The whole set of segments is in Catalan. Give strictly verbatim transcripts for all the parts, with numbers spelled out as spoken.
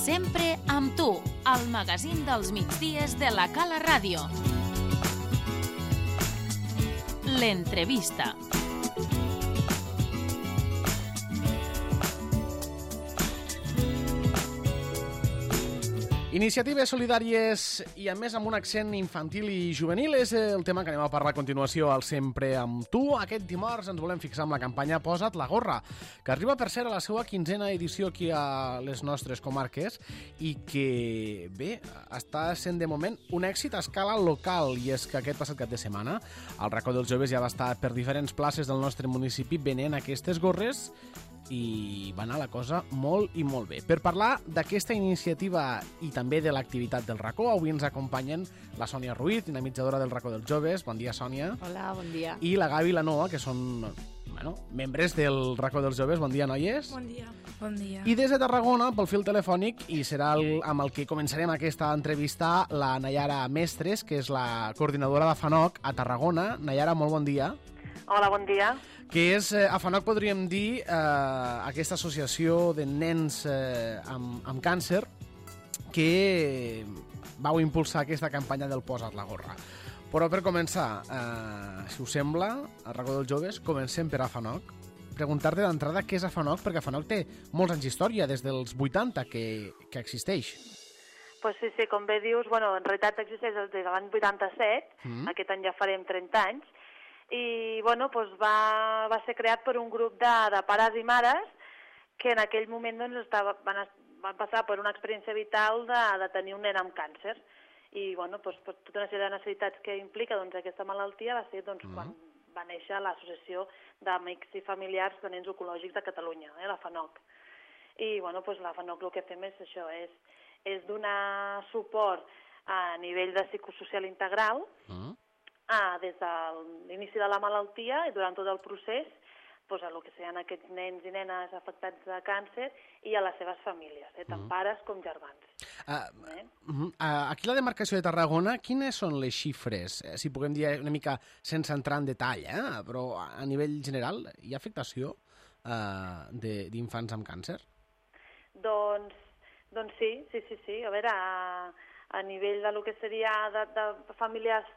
Sempre amb tu, el magazín dels migdies de la Cala Ràdio. L'entrevista. Iniciatives solidàries i, a més, amb un accent infantil i juvenil és el tema que anem a parlar a continuació al Sempre amb tu. Aquest dimarts ens volem fixar amb la campanya Posa't la gorra, que arriba per ser a la seva quinzena edició aquí a les nostres comarques i que, bé, està sent de moment un èxit a escala local. I és que aquest passat cap de setmana el Racó dels Joves ja va estar per diferents places del nostre municipi venent aquestes gorres i va anar la cosa molt i molt bé. Per parlar d'aquesta iniciativa i també de l'activitat del Racó, avui ens acompanyen la Sònia Ruiz, dinamitzadora del Racó dels Joves. Bon dia, Sònia. Hola, bon dia. I la Gavi i la Noa, que són bueno, membres del Racó dels Joves. Bon dia, noies. Bon dia. Bon dia. I des de Tarragona, pel fil telefònic, i serà el, amb el que començarem aquesta entrevista, la Nayara Mestres, que és la coordinadora de FANOC a Tarragona. Nayara, molt bon dia. Hola, bon dia. Que és, eh, a FANOC podríem dir, eh, aquesta associació de nens eh, amb, amb càncer que vau impulsar aquesta campanya del Posa't la gorra. Però per començar, eh, si us sembla, a Racó dels Joves, comencem per a FANOC. Preguntar-te d'entrada què és a FANOC, perquè FANOC té molts anys d'història, des dels vuitanta que, que existeix. Pues sí, sí, com bé dius, bueno, en realitat existeix des de l'any vuitanta-set, mm. aquest any ja farem trenta anys, i bueno, pues va, va ser creat per un grup de, de pares i mares que en aquell moment doncs, estava, van, van passar per una experiència vital de, de tenir un nen amb càncer i bueno, pues, per tota una sèrie de necessitats que implica doncs, aquesta malaltia va ser doncs, mm. quan va néixer l'Associació d'Amics i Familiars de Nens Oncològics de Catalunya, eh, la FANOC. I bueno, pues, la FANOC el que fem és això, és, és donar suport a nivell de psicosocial integral mm. Ah, des de l'inici de la malaltia i durant tot el procés doncs, a el que seran aquests nens i nenes afectats de càncer i a les seves famílies, eh, tant mm. pares com germans. Uh, eh? uh, aquí a la demarcació de Tarragona, quines són les xifres? Eh, si puguem dir una mica sense entrar en detall, eh? Però a nivell general hi ha afectació uh, d'infants amb càncer? Doncs, doncs sí, sí, sí, sí. A veure, a, a nivell de lo que seria de, de famílies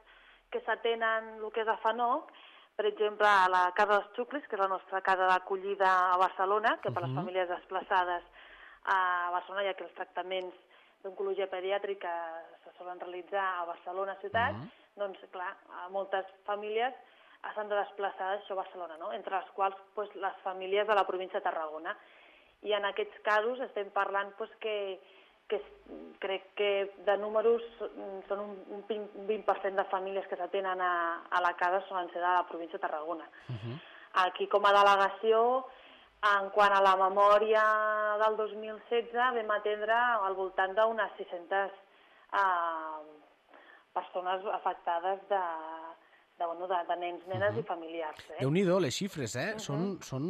que s'atenen el que és a FANOC, per exemple, a la Casa dels Xuclis, que és la nostra casa d'acollida a Barcelona, que per uh -huh. les famílies desplaçades a Barcelona, ja que els tractaments d'oncologia pediàtrica se solen realitzar a Barcelona ciutat, uh -huh. doncs, clar, moltes famílies s'han de desplaçar això a Barcelona, no? Entre les quals pues, les famílies de la província de Tarragona. I en aquests casos estem parlant pues, que que crec que de números són un vint per cent de famílies que s'atenen a, a la casa solen ser de la província de Tarragona. Uh-huh. Aquí, com a delegació, en quant a la memòria del dos mil setze, vam atendre al voltant d'unes sis-centes uh, persones afectades de, de, bueno, de, de nens, nenes uh-huh. i familiars. Eh? Déu-n'hi-do, les xifres, eh? Uh-huh. són, són...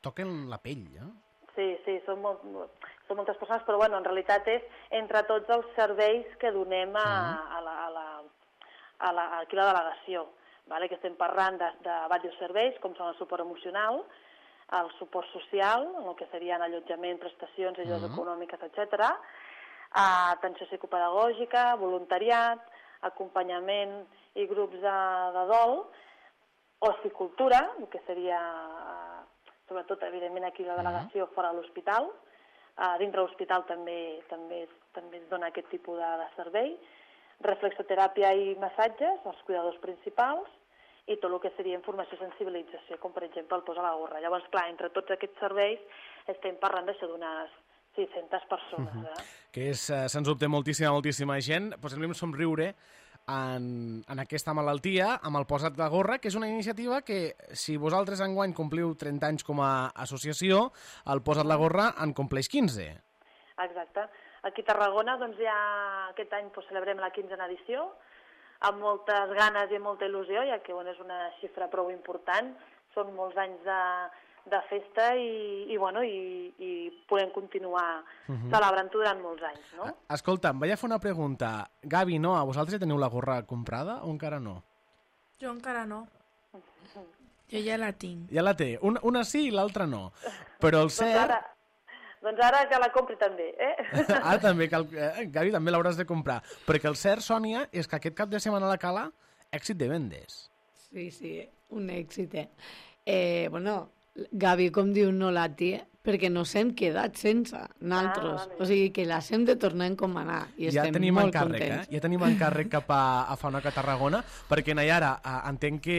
toquen la pell, eh? Sí, sí, són, molt, són moltes persones, però bueno, en realitat és entre tots els serveis que donem a, a la, a la, a la, aquí a la delegació, vale? Que estem parlant de, de diversos serveis, com són el suport emocional, el suport social, el que serien allotjament, prestacions, ajudes uh-huh. econòmiques, etcètera, atenció psicopedagògica, voluntariat, acompanyament i grups de, de dol, oci-cultura, el que seria... sobretot, evidentment, aquí la delegació fora de l'hospital. Uh, dintre l'hospital també, també, també es dona aquest tipus de, de servei. Reflexoteràpia i massatges, els cuidadors principals, i tot el que seria informació i sensibilització, com per exemple el Posa la gorra. Llavors, clar, entre tots aquests serveis estem parlant d'això d'unes sis-centes persones. Eh? Uh-huh. Que és, uh, sens dubte, moltíssima, moltíssima gent. Posem-li un somriure En, en aquesta malaltia, amb el Posa't la gorra, que és una iniciativa que, si vosaltres enguany compliu trenta anys com a associació, el Posa't la gorra en compleix quinze. Exacte. Aquí a Tarragona, doncs ja aquest any doncs, celebrem la quinzena edició, amb moltes ganes i molta il·lusió, ja que bueno, és una xifra prou important, són molts anys de, de festa i, i, bueno, i, i podem continuar uh-huh. celebrant-ho durant molts anys, no? Escolta'm, vaig a fer una pregunta. Gavi, no, a vosaltres ja teniu la gorra comprada o encara no? Jo encara no. Jo ja la tinc. Ja la té. Una, una sí i l'altra no. Però el cert... Doncs ara, doncs ara que la compri també, eh? Ara també, cal, eh, Gavi, també l'hauràs de comprar. Perquè el cert, Sònia, és que aquest cap de setmana a la Cala, èxit de vendes. Sí, sí, un èxit, eh? eh bueno, Gavi, com diu, no la tia, perquè no s'hem quedat sense naltros. Ah, vale. O sigui, que les hem de tornar a encomanar i ja estem molt encàrrec, contents. Eh? Ja tenim encàrrec cap a, a Fanoc a Tarragona, perquè, Nayara, entenc que,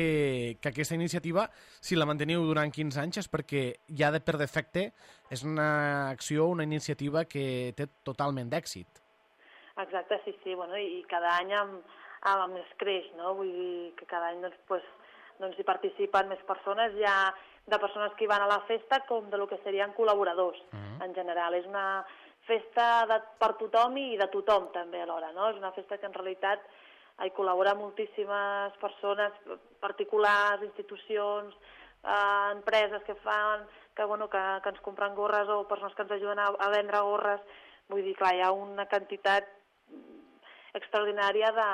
que aquesta iniciativa, si la manteniu durant quinze anys, és perquè ja de, per defecte és una acció, una iniciativa que té totalment d'èxit. Exacte, sí, sí. Bueno, i cada any amb, amb més creix, no? Vull dir que cada any doncs, pues, doncs hi participen més persones, ja de persones que hi van a la festa com de lo que serien col·laboradors, uh-huh. en general. És una festa de, per tothom i de tothom també alhora, no? És una festa que en realitat hi col·labora moltíssimes persones, particulars, institucions, eh, empreses que fan, que, bueno, que, que ens compren gorres o persones que ens ajuden a, a vendre gorres. Vull dir, clar, hi ha una quantitat extraordinària de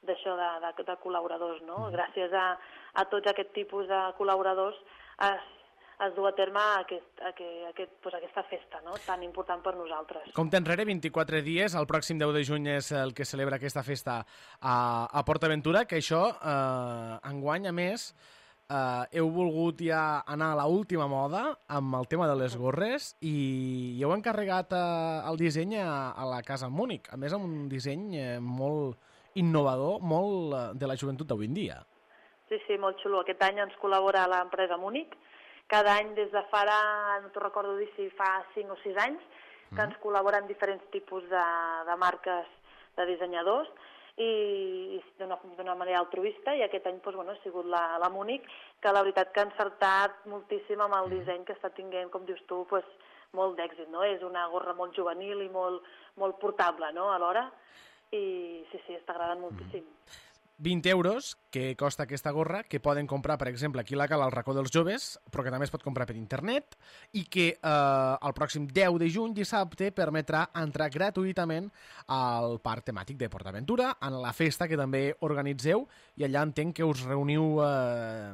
d'això, de, de, de col·laboradors, no? Gràcies a, a tots aquest tipus de col·laboradors es, es du a terme aquest, aquest, aquest, pues aquesta festa, no? Tan important per nosaltres. Compte enrere, vint-i-quatre dies, el pròxim deu de juny és el que celebra aquesta festa a, a PortAventura, que això, eh, enguany, a més, eh, heu volgut ja anar a l'última moda amb el tema de les gorres i heu encarregat eh, el disseny a, a la Casa Múnich, a més amb un disseny eh, molt innovador, molt de la joventut d'avui en dia. Sí, sí, molt xulo. Aquest any ens col·labora l'empresa Múnich. Cada any, des de fa, no t'ho recordo dir si fa cinc o sis anys, que ens col·laboren diferents tipus de, de marques de dissenyadors i, i d'una manera altruista, i aquest any doncs, bueno, ha sigut la, la Múnich, que la veritat que ha encertat moltíssim amb el disseny que està tinguent, com dius tu, pues, molt d'èxit, no? És una gorra molt juvenil i molt, molt portable, no?, alhora. I sí, sí, està agradant moltíssim. vint euros que costa aquesta gorra, que poden comprar, per exemple, aquí a la Cala, al racó dels joves, però que també es pot comprar per internet, i que eh, el pròxim deu de juny, dissabte, permetrà entrar gratuïtament al parc temàtic de PortAventura, en la festa que també organitzeu, i allà entenc que us reuniu eh,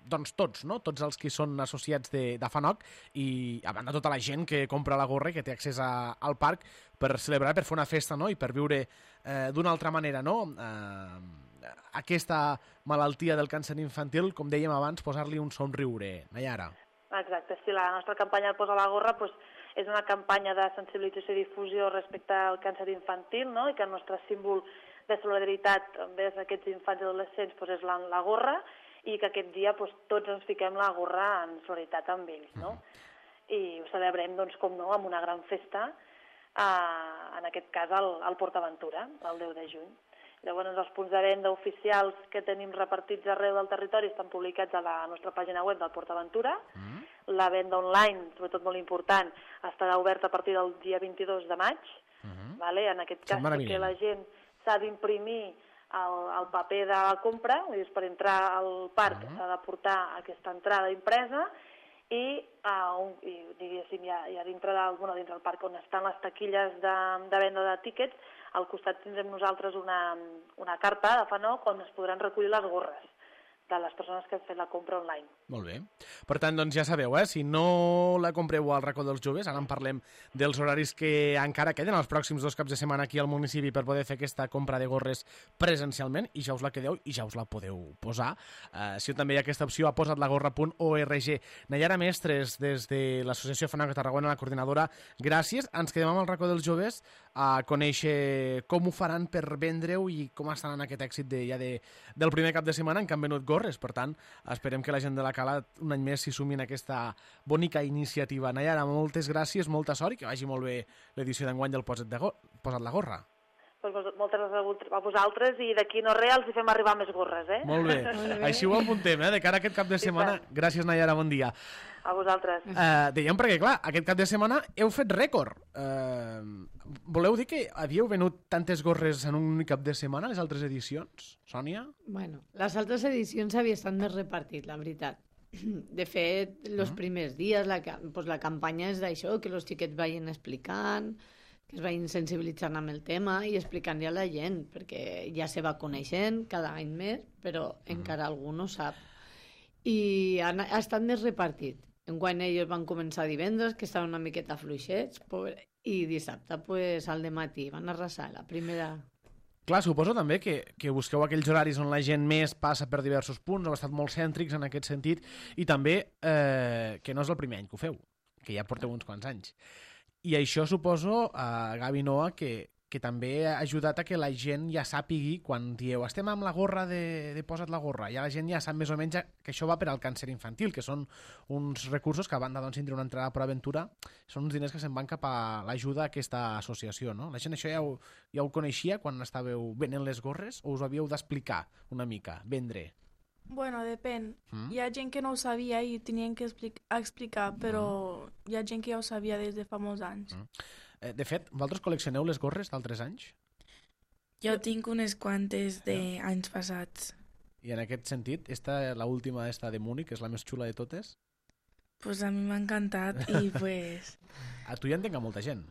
doncs tots, no? Tots els que són associats de, de Fanoc, i a banda tota la gent que compra la gorra i que té accés a, al parc per celebrar, per fer una festa, no?, i per viure eh, d'una altra manera, no?, eh, aquesta malaltia del càncer infantil, com dèiem abans, posar-li un somriure. Nayara. Exacte, sí, la nostra campanya Posa la gorra pues, és una campanya de sensibilització i difusió respecte al càncer infantil, no?, i que el nostre símbol de solidaritat envers aquests infants i adolescents pues, és la, la gorra, i que aquest dia pues, tots ens fiquem la gorra en solidaritat amb ells, no? I ho celebrem, doncs, com no, amb una gran festa, eh, en aquest cas al, al PortAventura, el deu de juny. Llavors, els punts de venda oficials que tenim repartits arreu del territori estan publicats a la nostra pàgina web del PortAventura. Mm. La venda online, sobretot molt important, estarà oberta a partir del dia vint-i-dos de maig. Mm-hmm. Vale? En aquest cas, que la gent s'ha d'imprimir el, el paper de la compra, vull dir, per entrar al parc mm-hmm. s'ha de portar aquesta entrada impresa, i, uh, un, i diguéssim, ja, ja dintre, del, bueno, dintre del parc on estan les taquilles de, de venda de tíquets, al costat tindrem nosaltres una, una carta de Fanoc on es podran recollir les gorres de les persones que han fet la compra online. Molt bé. Per tant, doncs ja sabeu, eh? Si no la compreu al racó dels joves, ara en parlem dels horaris que encara queden els pròxims dos caps de setmana aquí al municipi per poder fer aquesta compra de gorres presencialment, i ja us la quedeu i ja us la podeu posar. Uh, si també hi ha aquesta opció a posatlagorra punt org. Nayara Mestres, des de l'Associació Fanoc a Tarragona, la coordinadora, gràcies. Ens quedem amb el racó dels joves a conèixer com ho faran per vendre-ho i com estan en aquest èxit de, ja de, del primer cap de setmana en què han venut gorres. Per tant, esperem que la gent de la Cala un any més s'hi sumin a aquesta bonica iniciativa. Nayara, moltes gràcies, molta sort i que vagi molt bé l'edició d'enguany del Posa't, de go Posa't la gorra. Pues moltes gràcies a vosaltres i d'aquí no res els hi fem arribar més gorres, eh? Molt bé. Així ho apuntem, eh? De cara a aquest cap de setmana. Gràcies, Nayara, bon dia. A vosaltres. Uh, dèiem perquè, clar, aquest cap de setmana heu fet rècord. Uh, voleu dir que havíeu venut tantes gorres en un únic cap de setmana, les altres edicions, Sònia? Bueno, les altres edicions havia estat més repartit, la veritat. De fet, els uh-huh. primers dies la, pues, la campanya és d'això, que els xiquets vagin explicant, que es vagin sensibilitzant amb el tema i explicant-li a la gent, perquè ja se va coneixent cada any més, però uh-huh. encara algú no sap. I ha, ha estat més repartit. enguany ells van començar divendres, que estaven una miqueta fluixets, pobre, i dissabte, pues, al dematí, van arrasar la primera... Clar, suposo també que, que busqueu aquells horaris on la gent més passa per diversos punts, heu estat molt cèntrics en aquest sentit, i també eh, que no és el primer any que ho feu, que ja porteu uns quants anys. I això suposo, eh, Gavi Noa, que, que també ha ajudat a que la gent ja sàpigui, quan dieu estem amb la gorra de, de posa't la gorra, ja la gent ja sap més o menys que això va per al càncer infantil, que són uns recursos que a banda doncs, tindre una entrada per aventura, són uns diners que se'n van cap a l'ajuda a aquesta associació, no? La gent això ja ho, ja ho coneixia quan estàveu venent les gorres o us ho havíeu d'explicar una mica, vendre? Bueno, depèn. Mm. Hi ha gent que no ho sabia i tenien que explic explicar, però hi ha gent que ja ho sabia des de fa molts anys. Mm. Eh, de fet, vosaltres col·leccioneu les gorres d'altres anys? Jo tinc unes quantes d'anys passats. I en aquest sentit, esta, la última esta de Múnich, és la més xula de totes? Pues a mi m'ha encantat i pues... A tu ja entenc a molta gent.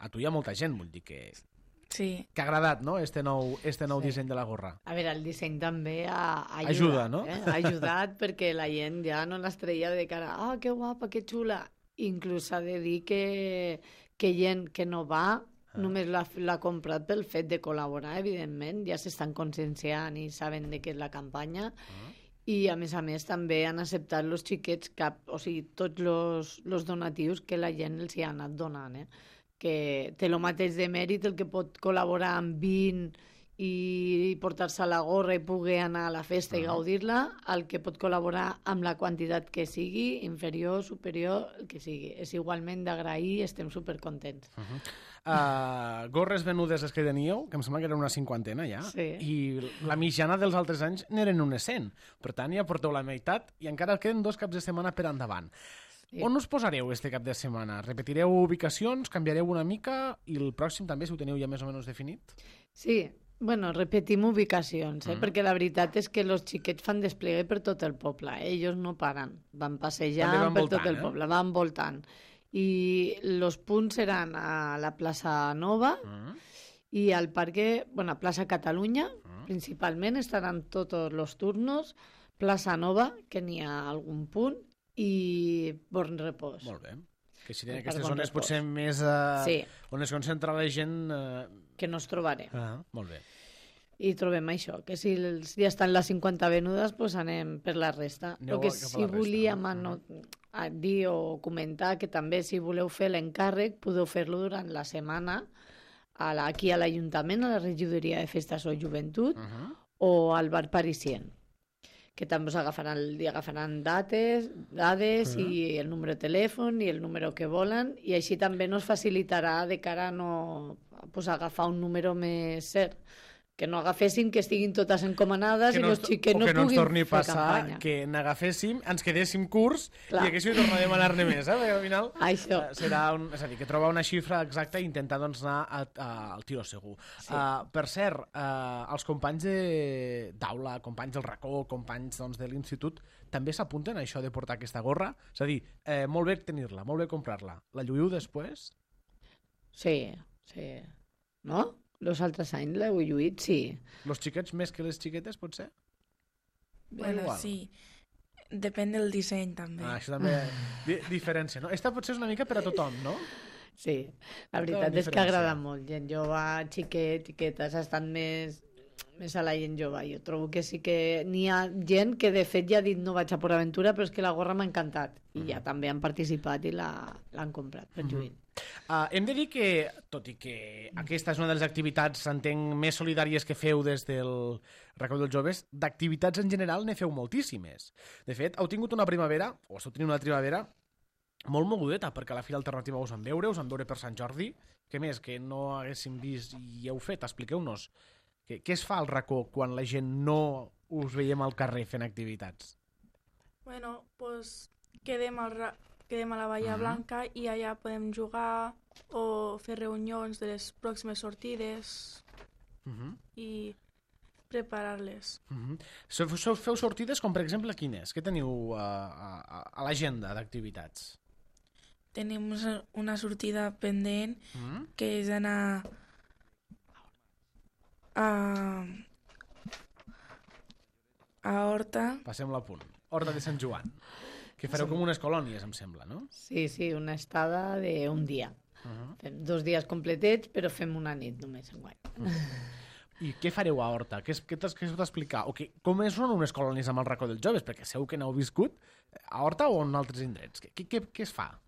A tu hi ha molta gent, vull dir que... Sí. Que ha agradat, no?, este nou, este nou Sí. disseny de la gorra. A veure, el disseny també ha, ha ajudat, Ajuda, no? Eh? Ha ajudat perquè la gent ja no les treia de cara, ah, que guapa, que xula. Inclús s'ha de dir que, que gent que no va ah. només l'ha comprat pel fet de col·laborar, evidentment, ja s'estan conscienciant i saben de què és la campanya. Ah. I, a més a més, també han acceptat els xiquets, cap, o sigui, tots els donatius que la gent els hi ha anat donant, eh? Que té el mateix de mèrit el que pot col·laborar amb vint i portar-se la gorra i poder anar a la festa uh -huh. i gaudir-la, el que pot col·laborar amb la quantitat que sigui, inferior, superior, el que sigui. És igualment d'agrair, estem supercontents. Uh -huh. uh, gorres venudes les que teníeu, que em sembla que eren una cinquantena ja, sí. i la mitjana dels altres anys n'eren unes cent. Per tant, ja porteu la meitat i encara queden dos caps de setmana per endavant. Sí. On us posareu este cap de setmana? Repetireu ubicacions, canviareu una mica i el pròxim també, si ho teniu ja més o menys definit? Sí, bueno, repetim ubicacions, eh? mm. perquè la veritat és que els xiquets fan desplegue per tot el poble, eh? Ells no paren, van passejant van per voltant, tot el eh? poble, van voltant. I els punts seran a la plaça Nova mm. i al parc, bueno, a plaça Catalunya, mm. principalment estaran tots els turnos, plaça Nova, que n'hi ha algun punt, i Born Repòs. Molt bé. Que serien aquestes zones repòs. Potser més... Uh, sí. On es concentra la gent... Uh... Que no es trobarem. Ah, molt bé. I trobem això, que si els, ja estan les cinquanta venudes, doncs anem per la resta. Aneu que si volíem a no, a dir o comentar que també si voleu fer l'encàrrec, podeu fer-lo durant la setmana a la, aquí a l'Ajuntament, a la Regidoria de Festes o Joventut, uh -huh. o al Bar Parisien, que també us agafaran, agafaran dates, dades uh -huh. i el número de telèfon i el número que volen, i així també nos facilitarà de cara a no pues, agafar un número més cert, que no agaféssim que estiguin totes encomanades que no, i els xiquets no, no puguin torni fer passar campanya. Que n'agaféssim, ens quedéssim curts Clar. I haguéssim de tornar a demanar-ne més, eh? Perquè al final Això. serà un, és a dir, que trobar una xifra exacta i intentar doncs, anar a, a, al tiro segur. Sí. Uh, per cert, uh, els companys d'aula, companys del racó, companys doncs, de l'institut, també s'apunten a això de portar aquesta gorra? És a dir, eh, molt bé tenir-la, molt bé comprar-la. La lluïu després? Sí, sí. No? Els altres anys l'heu lluït, sí. Els xiquets més que les xiquetes, potser? Bueno, igual. Sí. Depèn del disseny, també. Ah, això també di diferència, no? Esta potser és una mica per a tothom, no? Sí, la veritat és que agrada molt. Gent jove, xiquet, xiquetes, estan més, més a la gent jove. Jo trobo que sí que n'hi ha gent que de fet ja ha dit no vaig a por aventura, però és que la gorra m'ha encantat. I mm. ja també han participat i l'han comprat per lluir. Mm -hmm. Uh, hem de dir que, tot i que aquesta és una de les activitats, entenc, més solidàries que feu des del Racó dels Joves, d'activitats en general ne feu moltíssimes. De fet, heu tingut una primavera, o esteu tenint una primavera, molt mogudeta, perquè a la Fira Alternativa us van veure, us van veure per Sant Jordi. Què més que no haguéssim vist i heu fet? Expliqueu-nos. Què, què es fa al Racó quan la gent no us veiem al carrer fent activitats? Bueno, pues quedem al ra quedem a la Bahia uh -huh. Blanca i allà podem jugar o fer reunions de les pròximes sortides uh -huh. i preparar-les. Uh -huh. So, so, feu sortides com, per exemple, quines? Què teniu a, a, a l'agenda d'activitats? Tenim una sortida pendent uh -huh. que és anar a, a Horta. Passem-la a punt. Horta de Sant Joan. Que fareu com unes colònies, em sembla, no? Sí, sí, una estada d'un dia. Uh -huh. Fem dos dies completets, però fem una nit només enguany. Uh -huh. I què fareu a Horta? Què, què t'has d'explicar? O que, com són unes colònies amb el racó dels joves? Perquè segur que n'heu viscut a Horta o en altres indrets. Què, què, què es fa?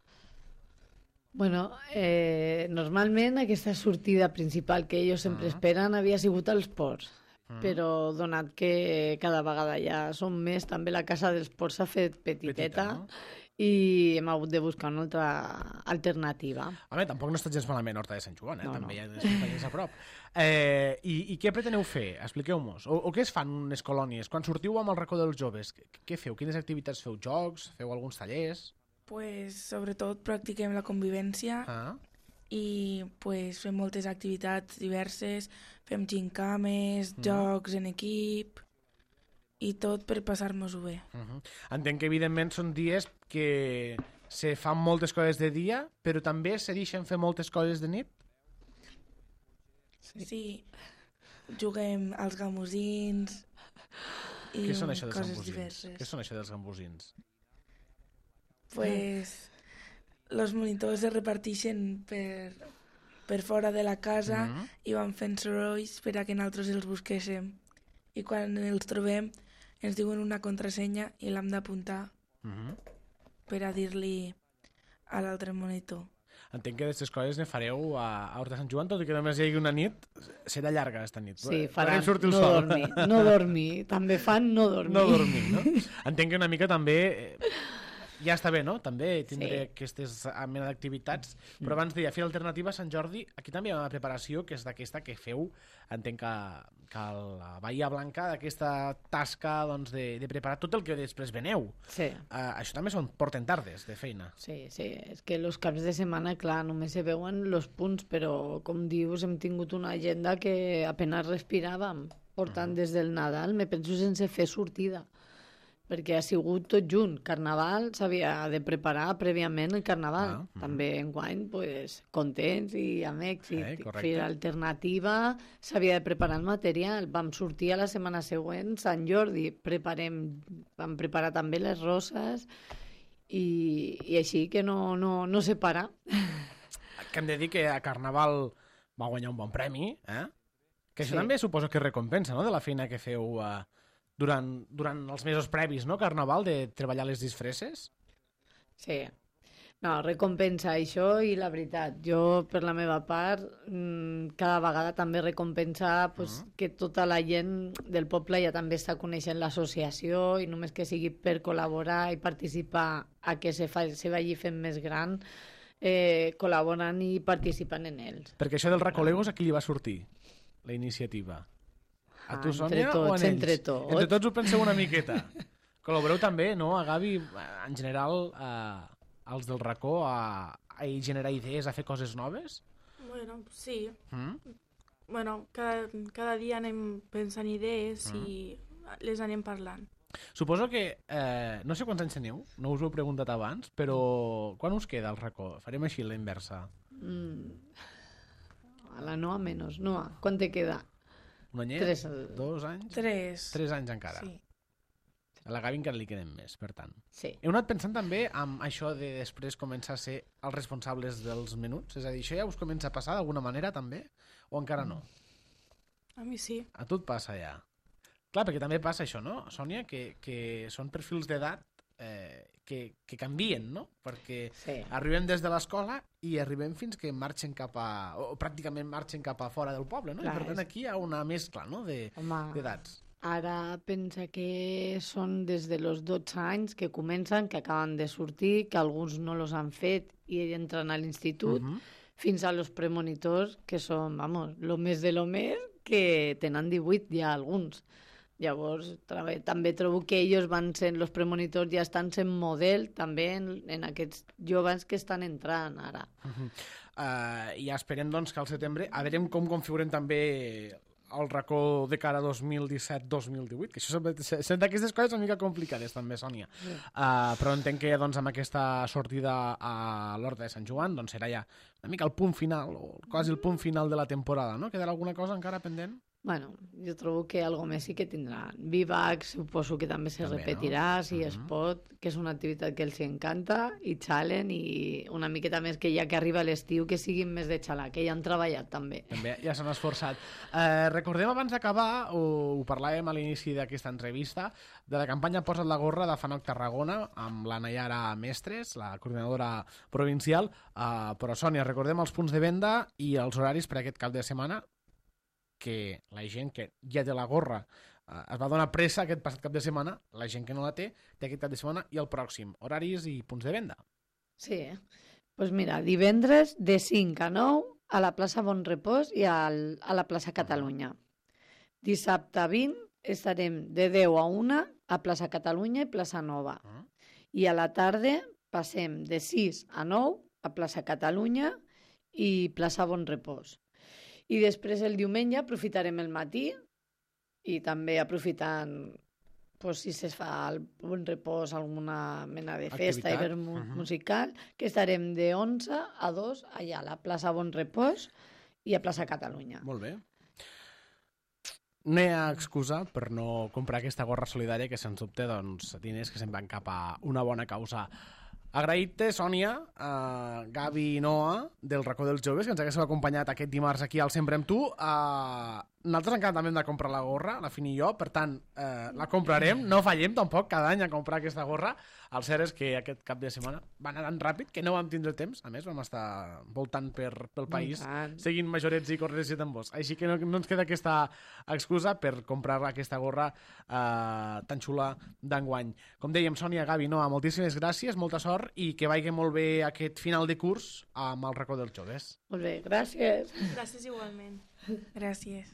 Bueno, eh, normalment aquesta sortida principal que ells sempre uh -huh. esperen havia sigut als ports. Uh -huh. Però donat que cada vegada ja som més, també la casa dels ports s'ha fet petiteta. Petita, no? I hem hagut de buscar una altra alternativa. Home, tampoc no està gens malament Horta de Sant Joan, eh? No, També no. hi ha companyies a prop. Eh, i, I què preteneu fer? Expliqueu-nos. O, o què es fan unes colònies? Quan sortiu amb el racó dels joves, què, què feu? Quines activitats feu? Jocs? Feu alguns tallers? Pues, sobretot practiquem la convivència Ah. i pues, fem moltes activitats diverses, fem gincames, mm. jocs en equip i tot per passar-nos-ho bé. Uh -huh. Entenc que, evidentment, són dies que se fan moltes coses de dia, però també se deixen fer moltes coses de nit? Sí. sí. Juguem als gamosins i Què són això dels coses gambosins? diverses. Què són això dels gambosins? Pues los monitors se reparteixen per, per fora de la casa Mm-hmm. i van fent sorolls per a que nosaltres els busquéssim. I quan els trobem ens diuen una contrasenya i l'hem d'apuntar Mm-hmm. per a dir-li a l'altre monitor. Entenc que d'aquestes coses ne fareu a, a Horta de Sant Joan, tot i que només hi hagi una nit, serà llarga aquesta nit. Sí, Farem faran sortir el no sol. dormir, no dormir. També fan no dormir. No dormir, no? Entenc que una mica també... Eh, ja està bé, no? També tindré Sí. aquestes mena d'activitats. Però abans deia, Fira Alternativa a Sant Jordi, aquí també hi ha una preparació que és d'aquesta que feu, entenc que, que a la Bahia Blanca, d'aquesta tasca doncs, de, de preparar tot el que després veneu. Sí. Uh, això també són porten tardes de feina. Sí, sí, és que els caps de setmana, clar, només se veuen els punts, però, com dius, hem tingut una agenda que apenas respiràvem, portant uh -huh. des del Nadal, me penso sense fer sortida, perquè ha sigut tot junt. Carnaval s'havia de preparar prèviament el Carnaval. Ah, uh -huh. També enguany, pues, contents i amb èxit. Eh, correcte. Fira Alternativa, s'havia de preparar el material. Vam sortir a la setmana següent, Sant Jordi, preparem, vam preparar també les roses i, i així que no, no, no se para. Que hem de dir que a Carnaval va guanyar un bon premi, eh? Que això Sí. també suposo que recompensa, no?, de la feina que feu uh, durant, durant els mesos previs, no?, Carnaval, de treballar les disfresses. Sí. No, recompensa això i la veritat, jo per la meva part mmm, cada vegada també recompensa pues, uh -huh. que tota la gent del poble ja també està coneixent l'associació i només que sigui per col·laborar i participar a que se, fa, se vagi fent més gran, eh, col·laborant i participant en ells. Perquè això del Recolegos a qui li va sortir, la iniciativa? A tu, Ah, Sònia, entre tots, o en ells? entre tots. Entre tots ho penseu una miqueta. Col·laboreu també, no?, a Gavi, en general, a, als del racó, a, a generar idees, a fer coses noves? Bueno, sí. Mm? Bueno, cada, cada dia anem pensant idees Mm. i les anem parlant. Suposo que, eh, no sé quants anys teniu, no us ho he preguntat abans, però quan us queda el racó? Farem així la inversa. Mm. A la Noa menos. Noa, quan te queda? Un anyet? Tres. Dos anys? Tres. Tres anys encara. Sí. A la Gavi encara li queden més, per tant. Sí. Heu anat pensant també en això de després començar a ser els responsables dels menuts? És a dir, això ja us comença a passar d'alguna manera també? O encara no? A mi sí. A tu et passa ja. Clar, perquè també passa això, no, Sònia? Que, que són perfils d'edat eh, que, que canvien, no? Perquè Sí. arribem des de l'escola i arribem fins que marxen cap a... o pràcticament marxen cap a fora del poble, no? Clar, I per tant és- aquí hi ha una mescla, no?, de- Home, d'edats. ara pensa que són des de los dotze anys que comencen, que acaben de sortir, que alguns no los han fet i entren a l'institut, Mhm. fins a los premonitors, que són, vamos, lo més de lo més, que tenen divuit ja alguns. Llavors, tra- també trobo que ells van sent, los premonitors ja estan sent model també en, en aquests joves que estan entrant ara. Uh, I ja esperem, doncs, que al setembre a veure com configurem també el racó de cara a dos mil disset dos mil divuit, que això són, són d'aquestes coses una mica complicades també, Sònia. Uh, però entenc que doncs, amb aquesta sortida a l'Horta de Sant Joan doncs, serà ja una mica el punt final, o quasi el punt final de la temporada, no? Quedarà alguna cosa encara pendent? Bueno, jo trobo que algo més sí que tindran. Vivac, suposo que també se També, repetirà, no? si es Mhm. pot, que és una activitat que els hi encanta, i xalen, i una miqueta més que ja que arriba l'estiu, que siguin més de xalar, que ja han treballat també. També ja s'han esforçat. Eh, recordem abans d'acabar, ho, ho parlàvem a l'inici d'aquesta entrevista, de la campanya Posa't la gorra de Fanoc Tarragona, amb la Nayara Mestres, la coordinadora provincial. Eh, però, Sònia, recordem els punts de venda i els horaris per aquest cap de setmana, que la gent que ja té la gorra eh, es va donar pressa aquest passat cap de setmana, la gent que no la té, té aquest cap de setmana i el pròxim. Horaris i punts de venda. Sí, eh? Pues mira, divendres de cinc a nou a la plaça Bon Repòs i al, a la plaça Catalunya. Dissabte vint estarem de deu a una a plaça Catalunya i plaça Nova. Uh-huh. I a la tarda passem de sis a nou a plaça Catalunya i plaça Bon Repòs. I després el diumenge aprofitarem el matí i també aprofitant pues, si se fa al Bon Repòs alguna mena de festa i Activitat. vermut Mhm. musical, que estarem de onze a dos allà a la plaça Bon Repòs i a plaça Catalunya. Molt bé. No hi ha excusa per no comprar aquesta gorra solidària que, sens dubte, doncs, diners que se'n van cap a una bona causa. Agraït-te, Sònia, uh, Gavi i Noa, del racó dels joves, que ens haguéssiu acompanyat aquest dimarts aquí al Sempre amb tu. Uh, nosaltres encara també hem de comprar la gorra, la Fini i jo, per tant, uh, la comprarem, no fallem tampoc cada any a comprar aquesta gorra. El cert és que aquest cap de setmana va anar tan ràpid que no vam tindre temps. A més, vam estar voltant per, pel país, Voltant. seguint majorets i corredors i tambors. Així que no, no ens queda aquesta excusa per comprar aquesta gorra uh, tan xula d'enguany. Com dèiem, Sònia, Gavi, Noa, moltíssimes gràcies, molta sort i que vagi molt bé aquest final de curs amb el racó dels joves. Molt bé, gràcies. Gràcies igualment. Gràcies.